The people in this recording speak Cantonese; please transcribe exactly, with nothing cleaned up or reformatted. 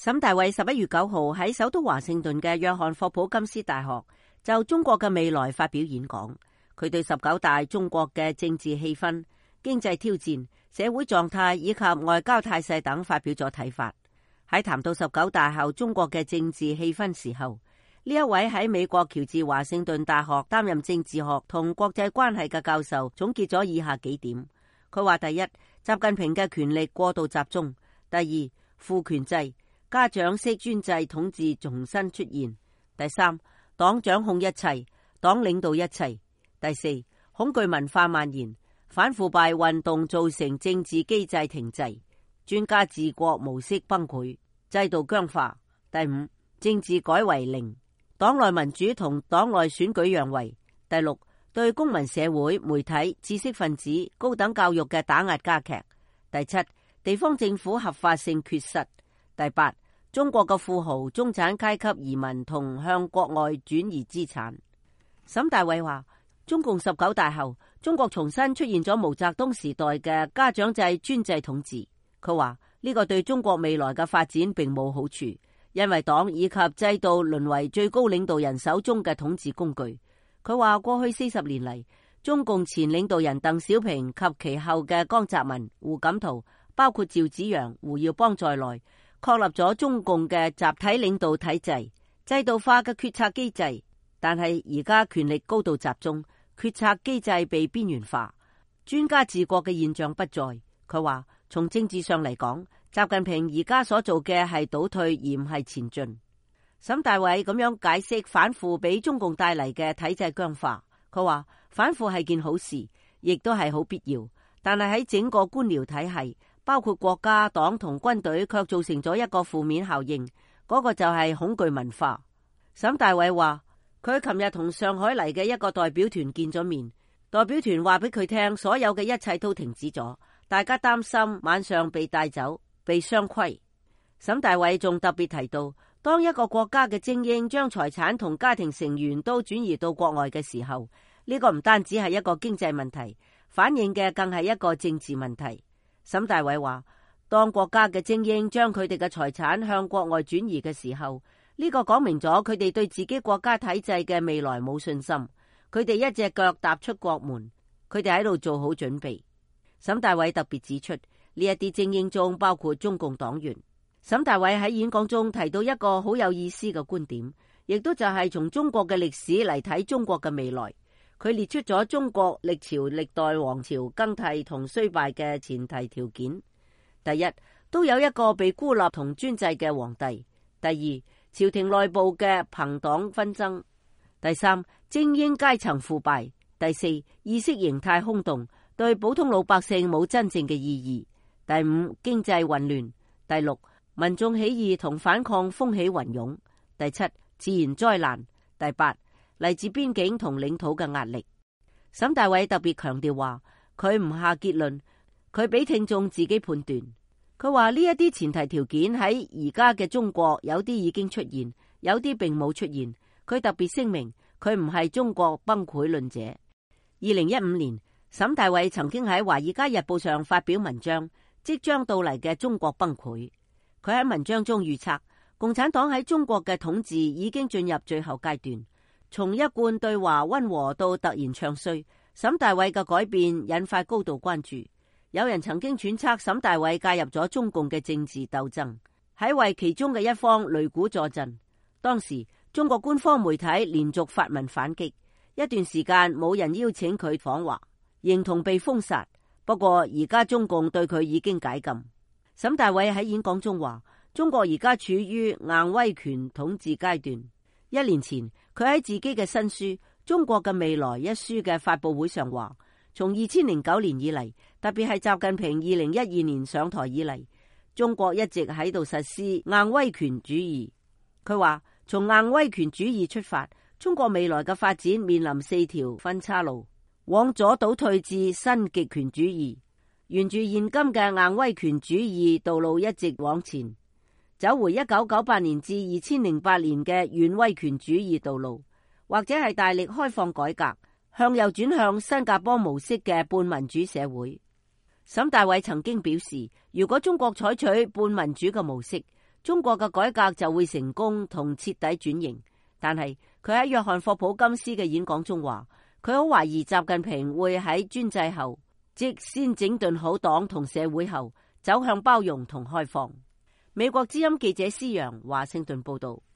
沈大偉十一月九號喺首都華盛頓嘅約翰霍普金斯大學就中國嘅未來發表演講。佢對十九大中國嘅政治氣氛、經濟挑戰、社會狀態以及外交態勢等發表咗睇法。喺談到十九大後中國嘅政治氣氛時候，呢一位喺美國喬治華盛頓大學擔任政治學同國際關係嘅教授總結咗以下幾點。佢話：第一，習近平嘅權力過度集中；第二，父權制、家長式專制統治重新出現；第三，黨掌控一切，黨領導一切；第四，恐懼文化蔓延，反腐敗運動造成政治機制停滯，專家治國模式崩潰，制度僵化；第五，政治改為零，黨內民主同黨內選舉讓位；第六，對公民社會、媒體、知識分子、高等教育嘅打壓加劇；第七，地方政府合法性缺失；第八，中國嘅富豪、中產階級移民同向國外轉移資產。沈大偉話：中共十九大後，中國重新出現咗毛澤東時代嘅家長制專制統治。佢話呢個對中國未來嘅發展並冇好處，因為黨以及制度淪為最高領導人手中嘅統治工具。佢話過去四十年嚟，中共前領導人鄧小平及其後嘅江澤民、胡錦濤，包括趙紫陽、胡耀邦在內，確立咗中共嘅集體領導體制、制度化嘅決策機制。但係而家權力高度集中，決策機制被邊緣化，專家治國嘅現象不再。佢話從政治上嚟講，習近平而家所做嘅係倒退而唔係前進。沈大偉咁樣解釋反腐俾中共帶嚟嘅體制僵化。佢話反腐係件好事，亦都係好必要，但係喺整個官僚體系，包括國家、黨同軍隊，卻造成咗一個負面效應，嗰、那個就係恐懼文化。沈大偉話佢琴日同上海嚟嘅一個代表團見咗面，代表團話俾佢聽，所有嘅一切都停止咗，大家擔心晚上被帶走、被雙規。沈大偉仲特別提到，當一個國家嘅精英將財產同家庭成員都轉移到國外嘅時候，呢、這個唔單止係一個經濟問題，反映嘅更係一個政治問題。沈大偉話，當國家嘅精英將佢哋嘅財產向國外轉移嘅時候，呢、這個講明咗佢哋對自己國家體制嘅未來冇信心，佢哋一隻腳踏出國門，佢哋喺度做好準備。沈大偉特別指出，呢一啲精英中包括中共黨員。沈大偉喺演講中提到一個好有意思嘅觀點，亦都就係從中國嘅歷史嚟睇中國嘅未來。佢列出咗中國歷朝歷代王朝更替同衰敗嘅前提條件。第一，都有一個被孤立同專制嘅皇帝；第二，朝廷內部嘅朋黨紛爭；第三，精英階層腐敗；第四，意識形態空洞，對普通老百姓冇真正嘅意義；第五，經濟混亂；第六，民眾起義同反抗風起雲湧；第七，自然災難；第八，嚟自邊境同領土嘅壓力。沈大偉特別強調話，佢唔下結論，佢俾聽眾自己判斷。佢話呢一啲前提條件喺而家嘅中國有啲已經出現，有啲並冇出現。佢特別聲明，佢唔係中國崩潰論者。二零一五年，沈大偉曾經喺《華爾街日報》上發表文章，即將到嚟嘅中國崩潰。佢喺文章中預測，共產黨喺中國嘅統治已經進入最後階段，從一貫對華溫和到突然唱衰。沈大偉嘅改變引發高度關注。有人曾經揣測沈大偉介入咗中共嘅政治鬥爭，喺為其中嘅一方擂鼓助陣。當時中國官方媒體連續發文反擊，一段時間冇人邀請佢訪華，形同被封殺。不過而家中共對佢已經解禁。沈大偉喺演講中話，中國而家處於硬威權統治階段。一年前，佢喺自己嘅新書《中國嘅未來》一書嘅發佈會上話，從二千零九年以嚟，特別係習近平二零一二年上台以嚟，中國一直喺度實施硬威權主義。佢話，從硬威權主義出發，中國未來嘅發展面臨四條分岔路，往左倒退至新極權主義，沿住現今嘅硬威權主義道路一直往前，走回一九九八年至二千零八年嘅軟威權主義道路，或者係大力開放改革，向右轉向新加坡模式嘅半民主社會。沈大偉曾經表示，如果中國採取半民主嘅模式，中國嘅改革就會成功同徹底轉型。但係佢喺約翰霍普金斯嘅演講中話，佢好懷疑習近平會喺專制後，即先整頓好黨同社會後，走向包容同開放。美國之音記者施洋華盛頓報道。